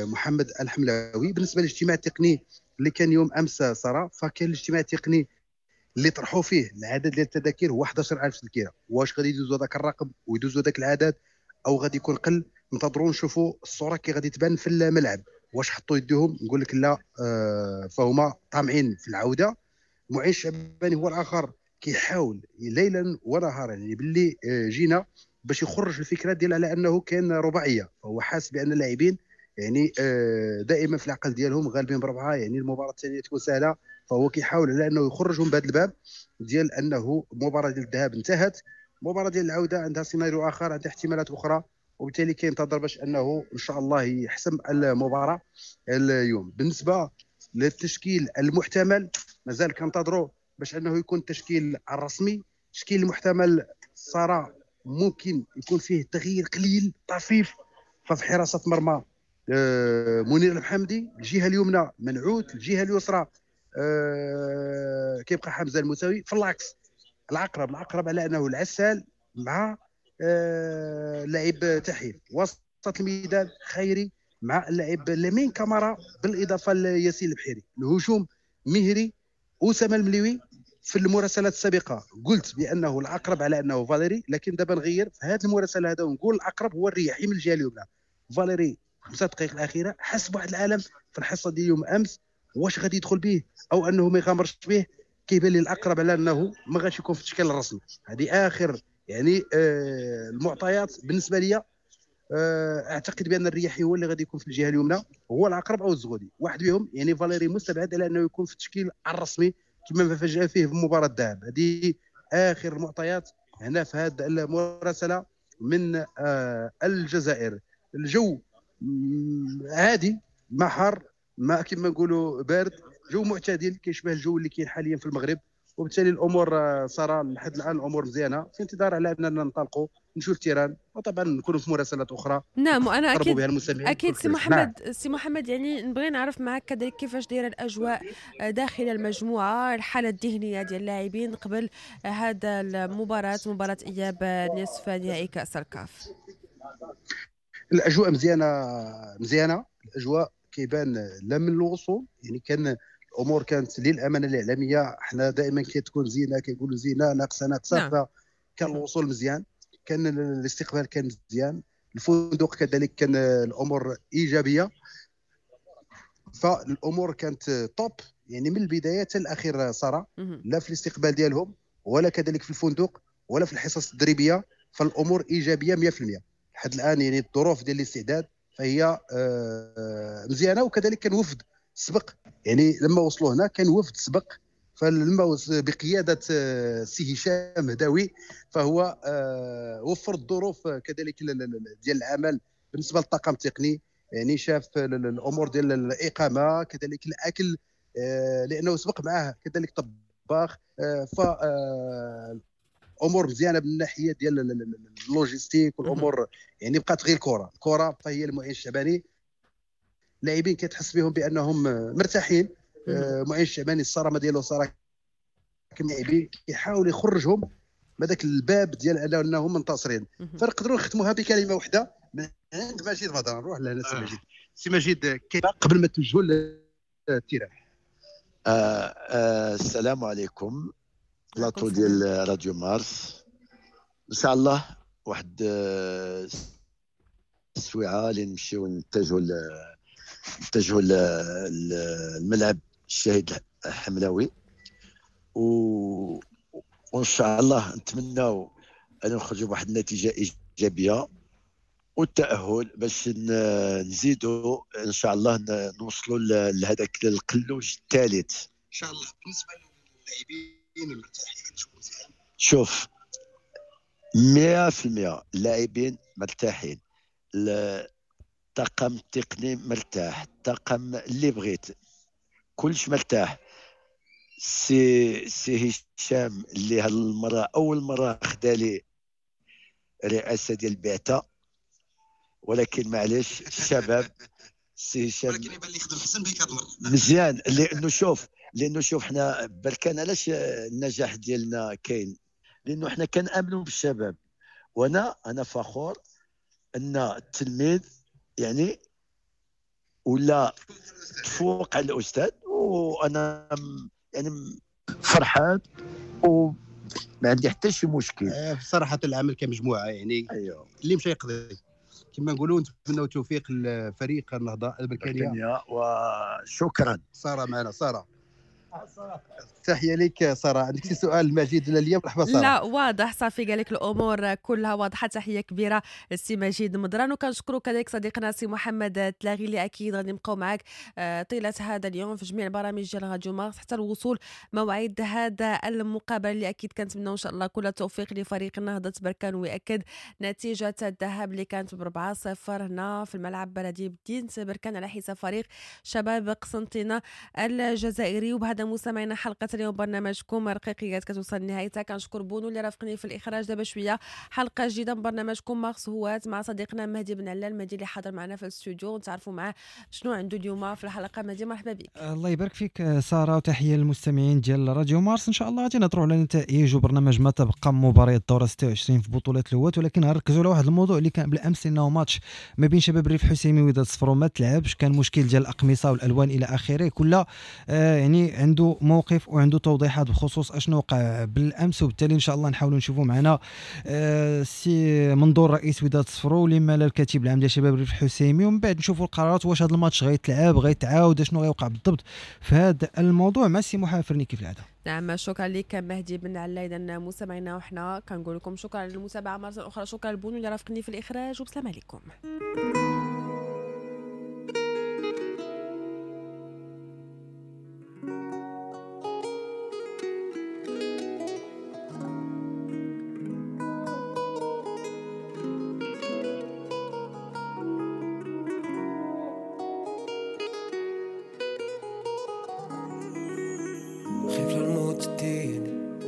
محمد الحملاوي. بالنسبة للاجتماع التقني اللي كان يوم امس ساره، فكان الاجتماع التقني اللي طرحوا فيه العدد ديال التذاكر هو احد عشر ألف تذكره. واش غادي يدوزوا ذاك الرقم ويدوزوا ذاك العدد او غادي يكون قل؟ ننتظروا نشوفوا الصورة كي غادي تبان في الملعب. واش حطوا يديهم؟ نقول لك لا، آه فهما طامعين في العودة. معين الشعباني هو الاخر كيحاول ليلا ونهارا، يعني باللي جينا باش يخرج الفكرة ديال على انه كان رباعية، فهو حاس بان اللاعبين يعني دائما في العقل ديالهم غالبين بربعه، يعني المباراة الثانية تكون سهلة، فهو كيحاول على انه يخرجهم بهذا الباب ديال انه المباراة ديال الذهاب انتهت، المباراة ديال العودة عندها سيناريو اخر، عندها احتمالات اخرى، وبالتالي كينتظر باش انه ان شاء الله يحسم المباراة اليوم. بالنسبة للتشكيل المحتمل مازال كنتظروا باش انه يكون التشكيل الرسمي. التشكيل المحتمل صار ممكن يكون فيه تغيير قليل طفيف، ففي حراسة مرمى منير المحمدي، الجهة اليمنى منعوت، الجهة اليسرى كيبقى حمزة المساوي، في العكس العقرب العقرب على انه العسال مع لاعب تحيل، وسط الميدان خيري مع اللاعب لمين كامارا، بالاضافة لياسين البحيري. الهجوم مهري اسامة المليوي. في المراسلات السابقة قلت بانه الاقرب على انه فاليري، لكن دابا نغير في هذه المراسله هذا ونقول الاقرب هو الرياحي من الجهة اليمنى. فاليري خمسة دقائق الاخيرة حس بواحد العالم في الحصة ديال يوم امس، واش غادي يدخل به او انه ما يغامرش به؟ كيبان لي الاقرب على انه ما غاديش يكون في التشكيل الرسمي. هذه اخر يعني آه المعطيات بالنسبة لي. آه اعتقد بان الرياحي هو اللي غادي يكون في الجهة اليمنى، هو العقرب او الزغودي واحد بهم. يعني فاليري مستبعد على انه يكون في التشكيل الرسمي كما فاجأ فيه في مباراة الذهاب. هذه اخر المعطيات هنا في هذه المراسله من آه الجزائر. الجو عادي، ما حار ما كما نقولوا بارد، جو معتدل كيشبه الجو اللي كاين حاليا في المغرب، وبالتالي الامور صار لحد الان الامور مزيانه، في انتظار على اننا ننطلقوا نشوف ال terrain، وطبعا نكونوا في مراسلات اخرى. نعم، وانا اكيد اكيد سي محمد. نعم. سي محمد، يعني نبغي نعرف معك كذلك كيفاش دايرة الاجواء داخل المجموعة، الحالة الذهنية ديال اللاعبين قبل هذا المباراة، مباراة اياب نصف نهائي كاس الكاف. الاجواء مزيانه مزيانه، الاجواء كيبان لا من الوصول، يعني كان الامور كانت للامانة الاعلامية حنا دائما كتكون زينة، كيقولوا زينة ناقصه ناقصه. نعم. فكان الوصول مزيان، كان الاستقبال كان مزيان، الفندق كذلك كان الامور ايجابية، فالامور كانت top يعني من البداية حتى الاخير ساره، لا في الاستقبال ديالهم ولا كذلك في الفندق ولا في الحصص التدريبية، فالامور ايجابية مية في المية لحد الان. يعني الظروف ديال الاستعداد فهي مزيانه، وكذلك كان وفد سبق، يعني لما وصلوا هنا كان وفد سبق، فلما بقيادة السي هشام هداوي فهو وفر الظروف كذلك ديال العمل بالنسبة للطاقم التقني، يعني شاف الامور ديال الاقامة كذلك الاكل، لانه سبق معاه كذلك طباخ، ف امور مزيانه من الناحية ديال ال logistique والامور. يعني بقات غير الكره، الكره فهي المعين الشعباني، اللاعبين كتحس بهم بانهم مرتاحين، آه معين الشعباني الصرامه ديالو صراحة اللاعبين كيحاول يخرجهم من هذاك الباب ديال انهم منتصرين. فنقدروا نختموها بكلمه واحدة من عند مجيد بدر. نروح لهنا سي مجيد. سي مجيد قبل ما توجهوا لل terrain. آه آه السلام عليكم بلاطو ديال راديو مارس. ان شاء الله واحد آه السويعه اللي نمشيو نتجهوا نتجهوا للملعب الشهيد الحملاوي، و وان شاء الله نتمناو ان نخرجوا بواحد النتيجة ايجابية والتاهل باش نزيدوا ان شاء الله نوصلوا لهذاك القلوج الثالث ان شاء الله. بالنسبة للاعبين مرتاحين؟ شوف مية بالمية اللاعبين مرتاحين، الطاقم التقني مرتاح، الطاقم اللي بغيت كلش مرتاح. سي سي هشام اللي هالمرة اول مرة خدا لي رئاسة ديال البعثة، ولكن معليش الشباب سي هشام ولكن يبان لي خدم حسن بك هاد المرة مزيان. لانه شوف لانه شوف حنا بركان علاش النجاح ديالنا كاين، لانه حنا كنامنوا بالشباب. وانا انا فخور ان التلميذ يعني ولا تفوق على الاستاذ، وانا يعني فرحان وما عندي حتى شي مشكل. بصراحة العمل كمجموعة يعني أيوه. اللي مشى يقضي كما نقولوا. نتمنوا التوفيق لفريق النهضة البركانيه وشكرا. ساره معنا. ساره تحية لك ساره، عندك شي سؤال مجيد ولا ليا؟ مرحبا ساره. لا واضح صافي، قال لك الامور كلها واضحة. تحية كبيرة السي مجيد مدران، وكنشكروا كذلك صديقنا سي محمد تلاغي اللي اكيد غادي نبقاو معاك طيلة هذا اليوم في جميع البرامج ديال راديو مارس حتى الوصول موعد هذا المقابلة اللي اكيد كنتمناو ان شاء الله كل التوفيق لفريق النهضة بركان، ويأكد نتيجة الذهاب اللي كانت ب أربعة صفر هنا في الملعب البلدي بدينة بركان على حساب فريق شباب قسنطينه الجزائري. وبهذا مستمعينا حلقة اليوم برنامجكم رقيقيات كتوصل لنهايتها. كنشكر بونو اللي رافقني في الاخراج. دابا شوية حلقة جديدة من برنامجكم مارس هوات مع صديقنا مهدي بن علال. مهدي اللي حاضر معنا في الاستوديو ونتعرفوا معاه شنو عنده اليوم في الحلقة. مهدي مرحبا بك. الله يبارك فيك ساره، وتحية للمستمعين ديال راديو مارس. ان شاء الله غادي نهضروا على نتائج وبرنامج ما تبقى مباريات الدورة ستة وعشرين في بطوله الهوات، ولكن غنركزوا على واحد الموضوع اللي كان بالامس، انه ماتش ما بين شباب الريف الحسيمي وداد صفرو ما تلعبش، كان مشكل ديال الاقمصة والالوان الى اخره. كل آه يعني عنده موقف وعنده توضيحات بخصوص اشنو وقع بالامس، وبالتالي ان شاء الله نحاولوا نشوفوا معنا آه سي منظور رئيس وداد صفرو لما لا الكاتب العام ديال شباب الريف الحسيمي، ومن بعد نشوفوا القرارات واش هذا الماتش غيتلعب غيتعاود اشنو غيوقع بالضبط في هذا الموضوع مع سي محافرني كيف العادة. نعم شكرا لك مهدي بن علا. اذا مستمعينا وحنا كنقول لكم شكرا للمتابعة مرة اخرى، شكرا لبونو اللي رافقني في الاخراج، وبسلام عليكم.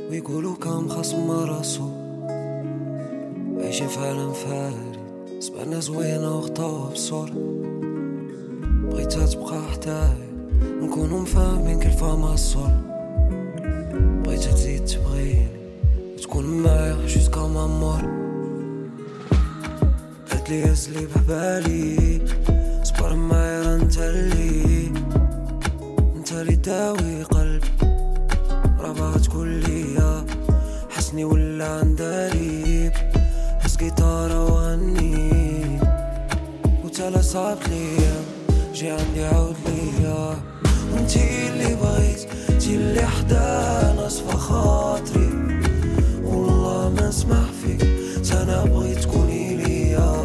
ويقولوا كم خصم راسو عايشين في عالم فاري، سبعنا زوينة وخطاوها بصور، بغيتها تبقى حدايا نكونو مفاهمين كيف ما الصور، بغيتها تزيد تبغيني وتكون معايا jusqu'à ma mort. قالت لي هزلي بحبالي صبر معايا راه انت اللي انت اللي داوي قلبي، راه تكون ليا حسني ولا عنداليب، هز جيتارة وغني وتلا صعبت ليا جي عندي عاود ليا، وانتي اللي بغيت انتي اللي حدا نصفى خاطري، والله ما نسمح فيك انا بغيت تكوني ليا،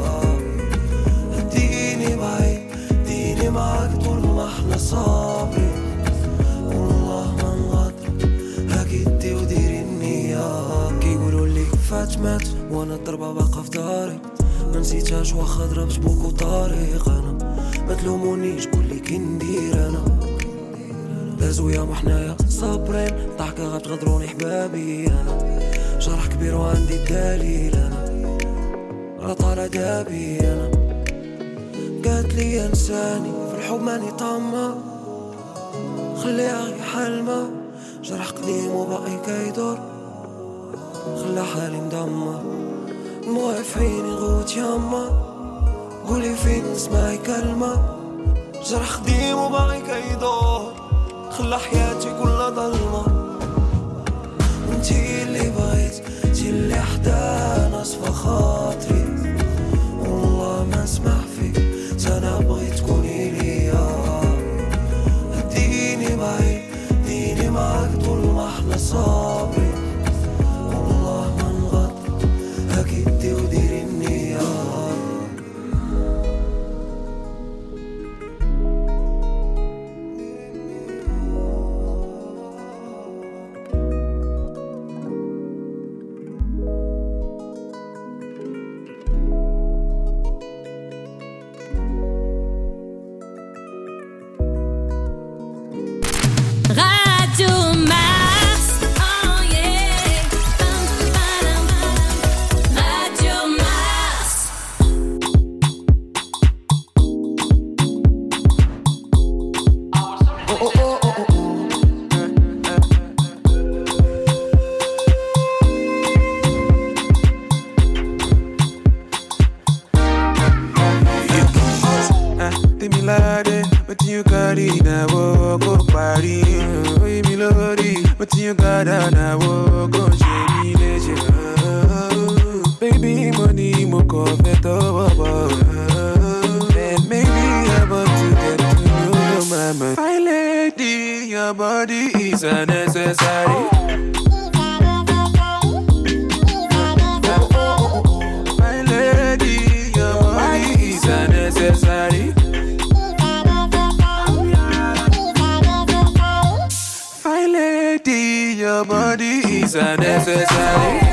ديني بعيد ديني معاك طول ما احنا صابرين، والله ما نغادر هاكي وديري النية. كيقولوا لي فات مات وانا الضربة باقا في داري، ما نسيتهاش واخا ضربت بوكو طريق، انا ما تلومونيش قول لي كي ندير انا، دازو يا حنايا صابرين ضحكة غتغدروني حبابي، انا جرح كبير وعندي الدليل، انا راه طالع دابي، انا قالت لي انساني في الحب ماني طمع، خليها غير حلمة، جرح قديم وباقي كيدور، خلى حالي مدمر، دموعي في عيني غوت ياما، قولي فين نسمعي كلمة، جرح قديم وباقي كيدور، خلى حياتي كلها ظلمة، انتي اللي بغيت، انتي اللي حدا ناس في خاطري، والله ما نسمح فيك، انا بغيت تكوني ليا، ديني بعيد، ديني معاك طول ما احنا صابرين، والله ما نغط هاك يدي وديري النية. Radio Mars. Oh yeah. Radio Mars. Oh, oh, oh, oh, oh. Temilade, wetin you carry na wo go party? Oye mi lórí, wetin you got na wo go ṣe mí léṣe? Baby, mo ní mo kàn fẹ́ tọwọ́ bọ̀. And maybe I want to get to know your mama. My lady, your body is unnecessary. My lady, your body is unnecessary. My lady, your body is unnecessary.